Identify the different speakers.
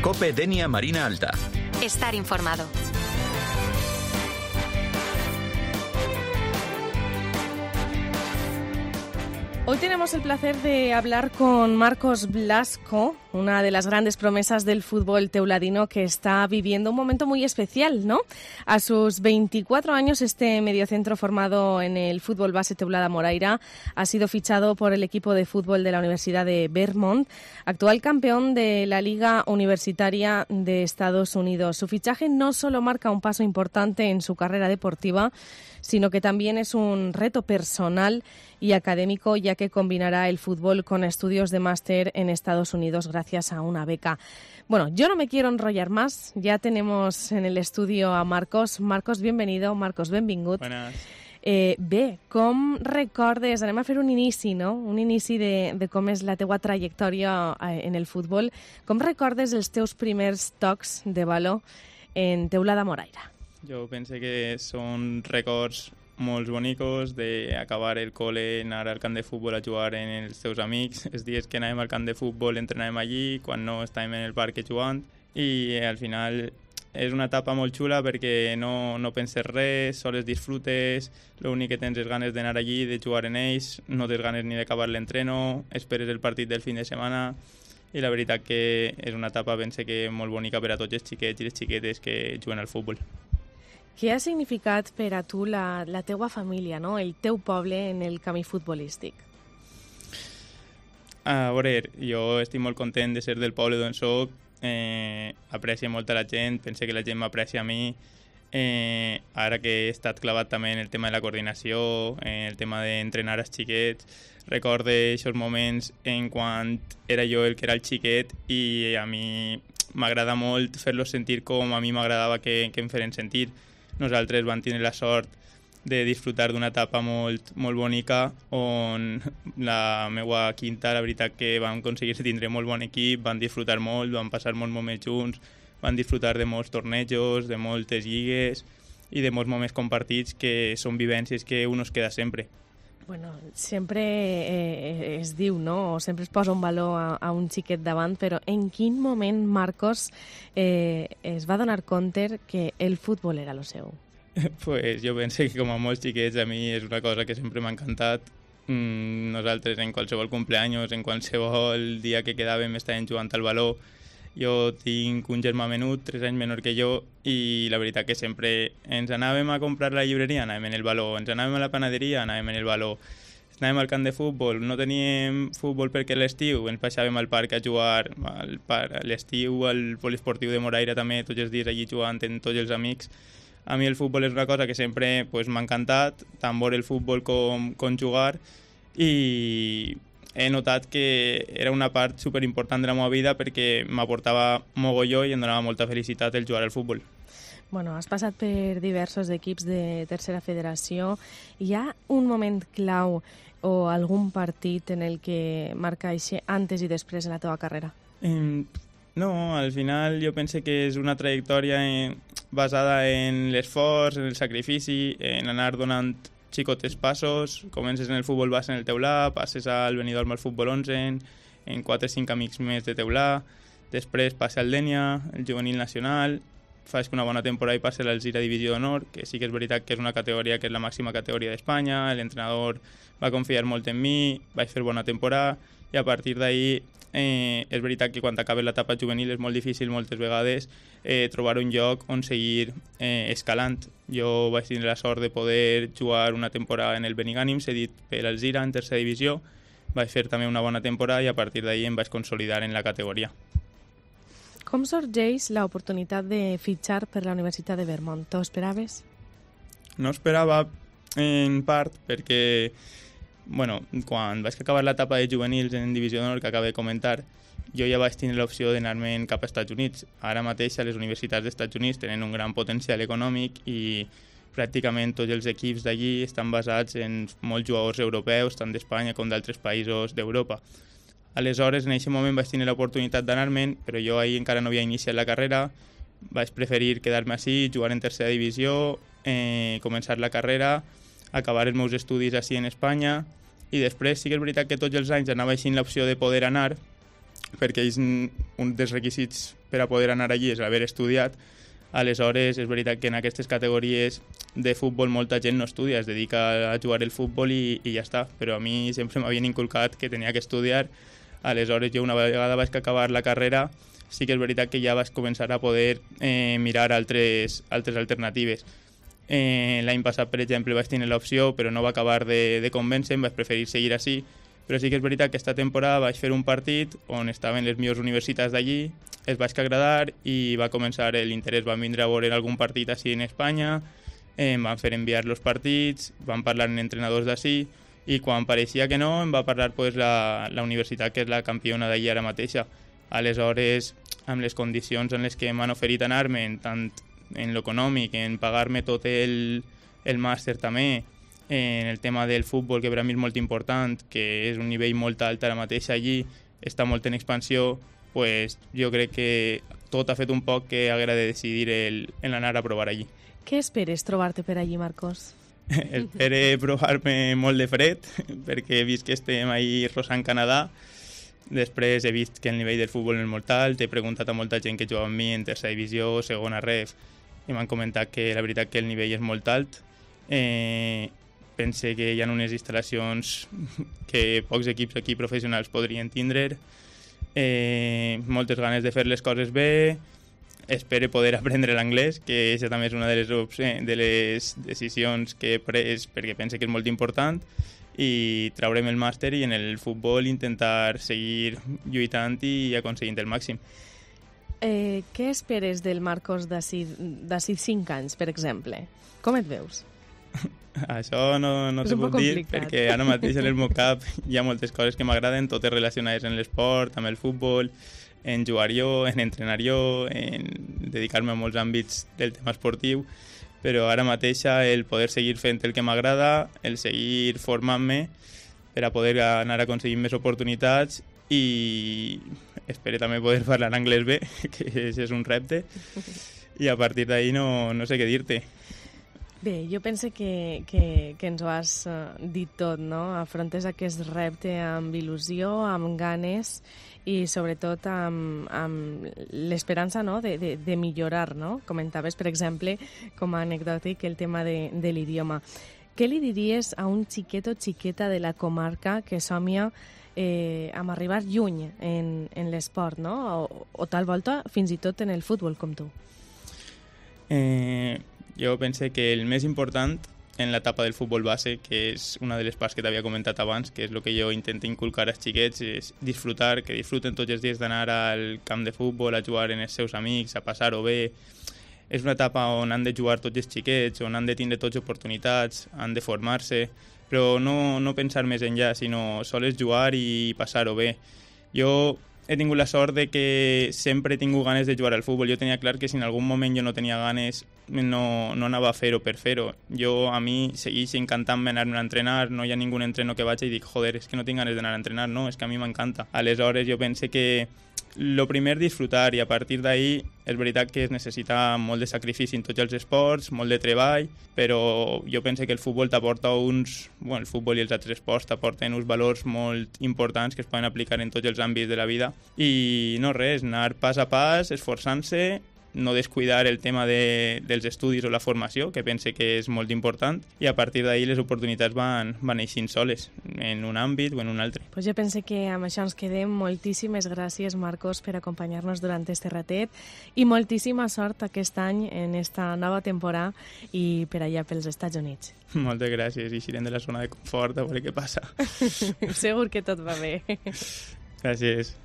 Speaker 1: COPE Denia Marina Alta.
Speaker 2: Estar informado.
Speaker 3: Hoy tenemos el placer de hablar con Marcos Blasco, una de las grandes promesas del fútbol teuladino que está viviendo un momento muy especial, ¿no? A sus 24 años, este mediocentro formado en el fútbol base Teulada Moraira ha sido fichado por el equipo de fútbol de la Universidad de Vermont, actual campeón de la Liga Universitaria de Estados Unidos. Su fichaje no solo marca un paso importante en su carrera deportiva, sino que también es un reto personal y académico, ya que combinará el fútbol con estudios de máster en Estados Unidos gracias a una beca. Bueno, yo no me quiero enrollar más, ya tenemos en el estudio a Marcos. Marcos, bienvenido. Marcos, benvingut.
Speaker 4: Buenas.
Speaker 3: Bé, com recordes, anem a fer un inici, no? Un inici de com és la teua trajectòria en el futbol. Com recordes els teus primers tocs de baló en Teulada Moraira?
Speaker 4: Jo penso que són records molt bonicos d'acabar el col·le, anar al camp de futbol a jugar amb els teus amics, els dies que anàvem al camp de futbol entrenàvem allí, quan no estàvem en el parc jugant, i al final és una etapa molt xula perquè no penses res, sols disfrutes, l'únic que tens és ganes d'anar allí, de jugar en ells, no tens ganes ni d'acabar l'entreno, esperes el partit del fin de setmana, i la veritat que és una etapa pense que molt bonica per a tots els xiquets i les xiquetes que juguen al futbol.
Speaker 3: Què ha significat per a tu la teua família, no? El teu poble en el camí futbolístic?
Speaker 4: A veure, jo estic molt content de ser del poble d'on soc, aprecio molt a la gent, penso que la gent m'aprecia a mi, ara que he estat clavat també en el tema de la coordinació, en el tema d'entrenar els xiquets, recorde aquests moments en quan era jo el que era el xiquet i a mi m'agrada molt fer-los sentir com a mi m'agradava que em feren sentir. Nosaltres vam tenir la sort de disfrutar d'una etapa molt bonica on la meva quinta, la veritat que vam aconseguir tindre molt bon equip, vam disfrutar molt, vam passar molts moments junts, vam disfrutar de molts tornejos, de moltes lligues i de molts moments compartits que són vivències que un es queda sempre.
Speaker 3: Bueno, sempre es diu, no? O sempre es posa un valor a un xiquet davant, però en quin moment Marcos es va donar compte que el futbol era lo seu?
Speaker 4: Pues jo penso que com a molts xiquets a mi és una cosa que sempre m'ha encantat. Nosaltres en qualsevol cumpleaños, en qualsevol dia que quedàvem estàvem jugant al baló. Jo tinc un germà menut, 3 anys menor que jo, i la veritat que sempre ens anàvem a comprar a la llibreria, anàvem en el baló, ens anàvem a la panaderia, anàvem en el baló, anàvem al camp de futbol, no teníem futbol perquè l'estiu, ens passàvem al parc a jugar, a l'estiu al poliesportiu de Moraira també, tots els dies allí jugant amb tots els amics. A mi el futbol és una cosa que sempre m'ha encantat, tant veure el futbol com jugar, i he notat que era una part superimportant de la meva vida perquè m'aportava mogolló i em donava molta felicitat el jugar al futbol.
Speaker 3: Bueno, has passat per diversos equips de tercera federació. Hi ha un moment clau o algun partit en el que marca això antes i després en la teva carrera?
Speaker 4: No, al final jo penso que és una trajectòria basada en l'esforç, en el sacrifici, en anar donant xicotes passos, comences en el futbol base en el Teulà, passes al Benidorm al futbol 11, en 4 o 5 amics més de Teulà, després passa al Denia, el juvenil nacional, faig una bona temporada i passa a l'Alzira Divisió d'Honor, que sí que és veritat que és una categoria que és la màxima categoria d'Espanya, l'entrenador va confiar molt en mi, vaig fer bona temporada, i a partir d'ahir és veritat que quan acabes l'etapa juvenil és molt difícil moltes vegades trobar un lloc on seguir escalant. Jo vaig tenir la sort de poder jugar una temporada en el Benigànim, cedit per l'Alzira en tercera divisió, vaig fer també una bona temporada i a partir d'ahir em vaig consolidar en la categoria.
Speaker 3: Com sorgeix l'oportunitat de fitxar per la Universitat de Vermont? T'ho esperaves?
Speaker 4: No esperava en part perquè quan vaig acabar l'etapa de juvenils en Divisió d'Honor que acabo de comentar, jo ja vaig tenir l'opció d'anar-me'n cap als Estats Units. Ara mateix a les universitats dels Estats Units tenen un gran potencial econòmic i pràcticament tots els equips d'allí estan basats en molts jugadors europeus, tant d'Espanya com d'altres països d'Europa. Aleshores, en aquest moment vaig tenir l'oportunitat d'anar-me'n, però jo ahir encara no havia iniciat la carrera, vaig preferir quedar-me així, jugar en tercera divisió, començar la carrera, acabar els meus estudis així en Espanya, i després sí que és veritat que tots els anys anava així l'opció de poder anar, perquè ells, un dels requisits per a poder anar allí és haver estudiat. Aleshores, és veritat que en aquestes categories de futbol molta gent no estudia, es dedica a jugar el futbol i ja està, però a mi sempre m'havien inculcat que tenia que estudiar. Aleshores, jo una vegada vaig acabar la carrera, sí que és veritat que ja vaig començar a poder mirar altres alternatives. L'any passat, per exemple, vaig tenir l'opció, però no va acabar de convèncer-me, vaig preferir seguir així. Però sí que és veritat que aquesta temporada vaig fer un partit on estaven les millors universitats d'allí, els vaig agradar i va començar l'interès. Van vindre a veure algun partit així en Espanya, em van fer enviar els partits, van parlar amb entrenadors d'ací i quan pareixia que no em va parlar la universitat que és la campiona d'allí ara mateixa. Aleshores, amb les condicions en les que m'han oferit anar-me, tant en l'econòmic, en pagar-me tot el màster també, en el tema del futbol, que per a mi és molt important, que és un nivell molt alt ara mateix allí, està molt en expansió, pues jo crec que tot ha fet un poc que haguera de decidir en anar a provar allí.
Speaker 3: Què esperes trobar-te per allí, Marcos?
Speaker 4: Espero provar-me molt de fred, perquè he vist que estem ahí rosant Canadà. Després he vist que el nivell del futbol és molt alt, he preguntat a molta gent que juga amb mi en tercera divisió, segona ref, i m'han comentat que la veritat que el nivell és molt alt. Pense que hi ha unes instal·lacions que pocs equips aquí professionals podrien tindre, moltes ganes de fer les coses bé, espero poder aprendre l'anglès, que això també és una de les decisions que he pres perquè pense que és molt important, i traure'm el màster i en el futbol intentar seguir lluitant i aconseguint el màxim.
Speaker 3: Què esperes del Marcos d'ací 5 anys, per exemple? Com et veus?
Speaker 4: Això no te puc dir, perquè ara mateix en el meu cap hi ha moltes coses que m'agraden, totes relacionades amb l'esport, amb el futbol, en jugar jo, en entrenar jo, en dedicar-me a molts àmbits del tema esportiu, però ara mateix el poder seguir fent el que m'agrada, el seguir formant-me per a poder anar aconseguint més oportunitats i espero també poder parlar anglès bé, que és un repte, i a partir d'ahí no sé què dir-te.
Speaker 3: Bé, jo penso que ens ho has dit tot, no? Afrontes aquest repte amb il·lusió, amb ganes i sobretot amb l'esperança, no? de millorar, no? Comentaves, per exemple, com a anecdòtic, el tema de l'idioma. Què li diries a un xiquet o xiqueta de la comarca que somia amb arribar lluny en l'esport, no? O tal volta fins i tot en el futbol, com tu?
Speaker 4: Jo penso que el més important en l'etapa del futbol base, que és una de les parts que t'havia comentat abans, que és el que jo intento inculcar als xiquets, és disfrutar, que disfruten tots els dies d'anar al camp de futbol, a jugar amb els seus amics, a passar-ho bé. És una etapa on han de jugar tots els xiquets, on han de tindre tots oportunitats, han de formar-se, però no pensar més enllà, sinó sols jugar i passar-ho bé. Jo he tingut la sort de que sempre he tingut ganes de jugar al futbol. Jo tenia clar que si en algun moment jo no tenia ganes no anava a fer-ho per fer-ho. A mi segueix encantant-me anar-me a entrenar, no hi ha ningú entreno que vaig i dic, joder, és que no tinc ganes d'anar a entrenar, no, és que a mi m'encanta. Aleshores jo penso que lo primer disfrutar i a partir d'ahí és veritat que es necessita molt de sacrifici en tots els esports, molt de treball, però jo penso que el futbol t'aporta el futbol i els altres esports t'aporten uns valors molt importants que es poden aplicar en tots els àmbits de la vida i no res, anar pas a pas, esforçant-se, no descuidar el tema dels estudis o la formació, que pense que és molt important, i a partir d'ahir les oportunitats van eixint soles, en un àmbit o en un altre.
Speaker 3: Pues jo pense que amb això ens quedem. Moltíssimes gràcies, Marcos, per acompanyar-nos durant este ratet i moltíssima sort aquest any en esta nova temporada i per allà pels Estats Units.
Speaker 4: Moltes gràcies, i eixirem de la zona de confort a veure què passa.
Speaker 3: Segur que tot va bé.
Speaker 4: Gràcies.